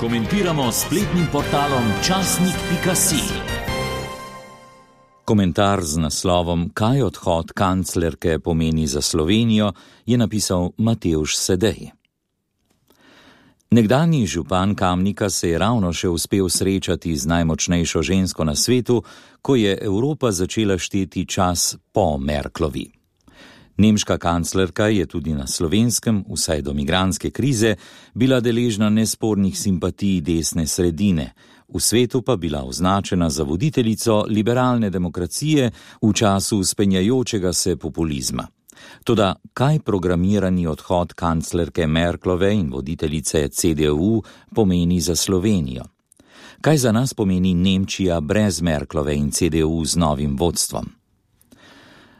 Komentiramo s spletnim portalom časnik.si. Komentar z naslovom Kaj odhod kanclerke pomeni za Slovenijo je napisal Matevž Sedej. Nekdanji župan Kamnika se je ravno še uspel srečati z najmočnejšo žensko na svetu, ko je Evropa začela šteti čas po Merklovi. Nemška kanclerka je tudi na Slovenskem, vsaj do migrantske krize, bila deležna nespornih simpatij desne sredine, v svetu pa bila označena za voditeljico liberalne demokracije v času spenjajočega se populizma. Toda kaj programirani odhod kanclerke Merklove in voditeljice CDU pomeni za Slovenijo? Kaj za nas pomeni Nemčija brez Merklove in CDU z novim vodstvom?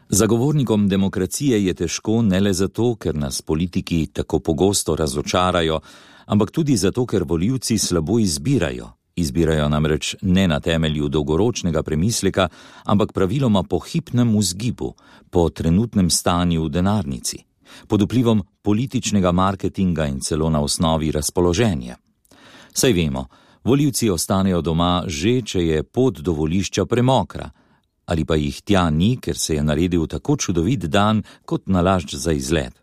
Zagovornikom demokracije je težko ne le zato, ker nas politiki tako pogosto razočarajo, ampak tudi zato, ker volivci slabo izbirajo. Izbirajo namreč ne na temelju dolgoročnega premisleka, ampak praviloma po hipnem vzgibu, po trenutnem stanju v denarnici, pod vplivom političnega marketinga in celo na osnovi razpoloženja. Saj vemo, volivci ostanejo doma že, če je pot do volišča premokra, ali pa jih tja ni, ker se je naredil tako čudovit dan kot nalašč za izlet.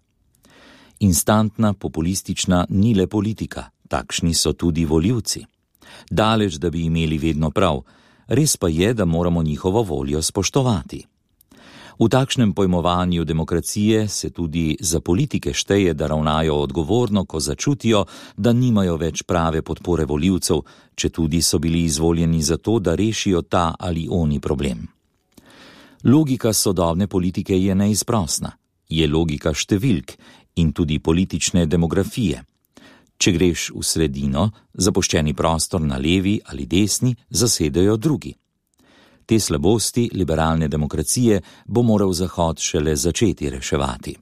Instantna, populistična ni le politika, takšni so tudi volivci. Daleč, da bi imeli vedno prav, res pa je, da moramo njihovo voljo spoštovati. V takšnem pojmovanju demokracije se tudi za politike šteje, da ravnajo odgovorno, ko začutijo, da nimajo več prave podpore volivcev, četudi so bili izvoljeni za to, da rešijo ta ali oni problem. Logika sodobne politike je neizprosna, je logika številk in tudi politične demografije. Če greš v sredino, zapuščeni prostor na levi ali desni zasedajo drugi. Te slabosti liberalne demokracije bo moral Zahod šele začeti reševati.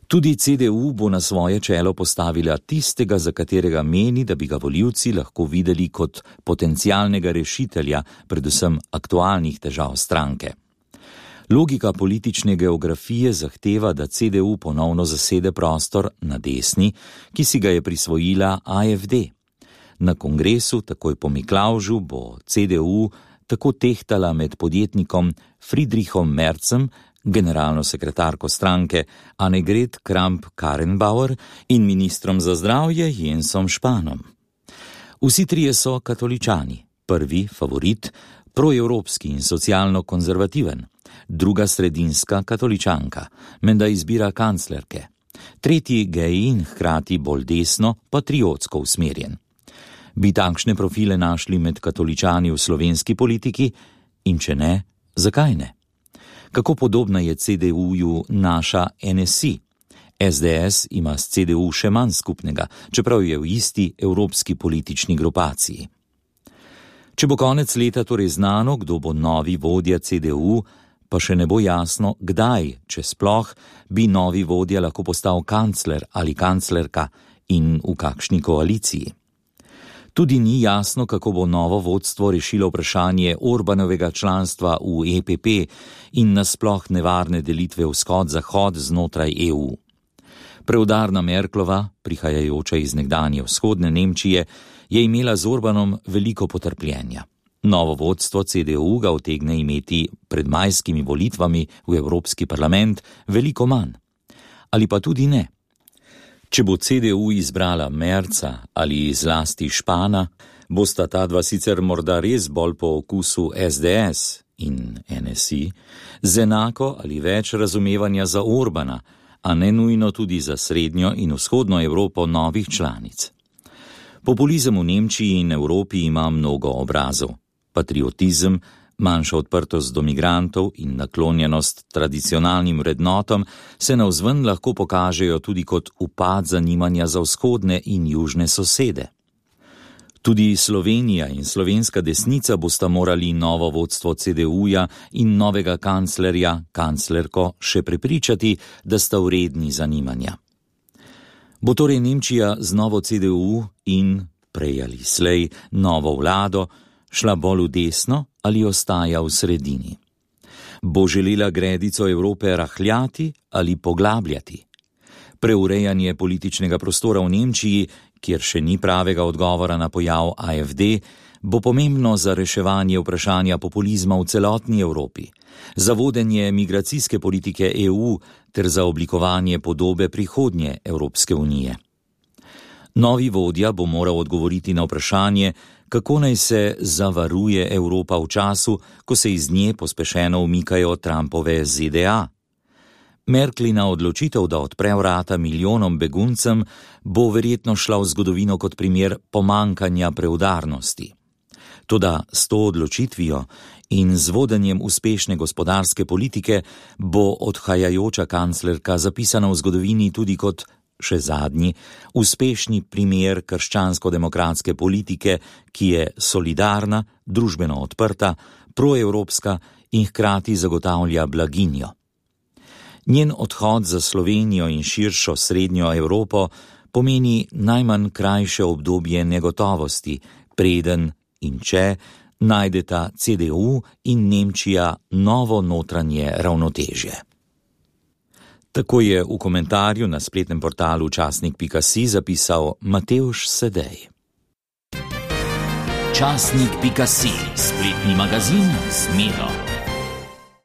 Tudi CDU bo na svoje čelo postavila tistega, za katerega meni, da bi ga volivci lahko videli kot potencialnega rešitelja, predvsem aktualnih težav stranke. Logika politične geografije zahteva, da CDU ponovno zasede prostor na desni, ki si ga je prisvojila AfD. Na kongresu, takoj po Miklavžu, bo CDU tako tehtala med podjetnikom Friedrichom Merzem, generalno sekretarko stranke Annegret Kramp-Karrenbauer in ministrom za zdravje Jensom Spanom. Vsi trije so katoličani, prvi favorit, proevropski in socialno konzervativen, druga sredinska katoličanka, menda izbira kanclerke, tretji gej in hkrati bolj desno, patriotsko usmerjen. Bi takšne profile našli med katoličani v slovenski politiki in če ne, zakaj ne? Kako podobna je CDU-ju naša NSI? SDS ima s CDU še manj skupnega, čeprav je v isti evropski politični grupaciji. Če bo konec leta torej znano, kdo bo novi vodja CDU, pa še ne bo jasno, kdaj, če sploh, bi novi vodja lahko postal kancler ali kanclerka in v kakšni koaliciji. Tudi ni jasno, kako bo novo vodstvo rešilo vprašanje Orbanovega članstva v EPP in nasploh nevarne delitve vzhod-zahod znotraj EU. Preudarna Merklova, prihajajoča iz nekdanje vzhodne Nemčije, je imela z Orbanom veliko potrpljenja. Novo vodstvo CDU ga utegne imeti pred majskimi volitvami v Evropski parlament veliko manj. Ali pa tudi ne. Če bo CDU izbrala Merza ali zlasti Špana, bosta ta dva sicer morda res bolj po okusu SDS in NSI, z enako ali več razumevanja za Orbana, a ne nujno tudi za srednjo in vzhodno Evropo novih članic. Populizem v Nemčiji in Evropi ima mnogo obrazov. Patriotizem, manjša odprtost do migrantov in naklonjenost tradicionalnim vrednotom se navzven lahko pokažejo tudi kot upad zanimanja za vzhodne in južne sosede. Tudi Slovenija in slovenska desnica bosta morali novo vodstvo CDU-ja in novega kanclerko še prepričati, da sta vredni zanimanja. Bo torej Nemčija z novo CDU in, prej ali slej, novo vlado šla bolj v desno ali ostaja v sredini? Bo želela gredico Evrope rahljati ali poglabljati? Preurejanje političnega prostora v Nemčiji kjer še ni pravega odgovora na pojav AfD, bo pomembno za reševanje vprašanja populizma v celotni Evropi, za vodenje migracijske politike EU ter za oblikovanje podobe prihodnje Evropske unije. Novi vodja bo moral odgovoriti na vprašanje, kako naj se zavaruje Evropa v času, ko se iz nje pospešeno umikajo Trumpove ZDA. Merklina odločitev, da odpre vrata milijonom beguncem, bo verjetno šla v zgodovino kot primer pomankanja preudarnosti. Toda s to odločitvijo in z vodenjem uspešne gospodarske politike bo odhajajoča kanclerka zapisana v zgodovini tudi kot, še zadnji, uspešni primer krščansko-demokratske politike, ki je solidarna, družbeno odprta, proevropska in hkrati zagotavlja blaginjo. Njen odhod za Slovenijo in širšo srednjo Evropo pomeni najmanj krajše obdobje negotovosti, preden in če najdeta CDU in Nemčija novo notranje ravnotežje. Tako je v komentarju na spletnem portalu časnik.si zapisal Matevž Sedej. Časnik.si, spletni magazin z Miro.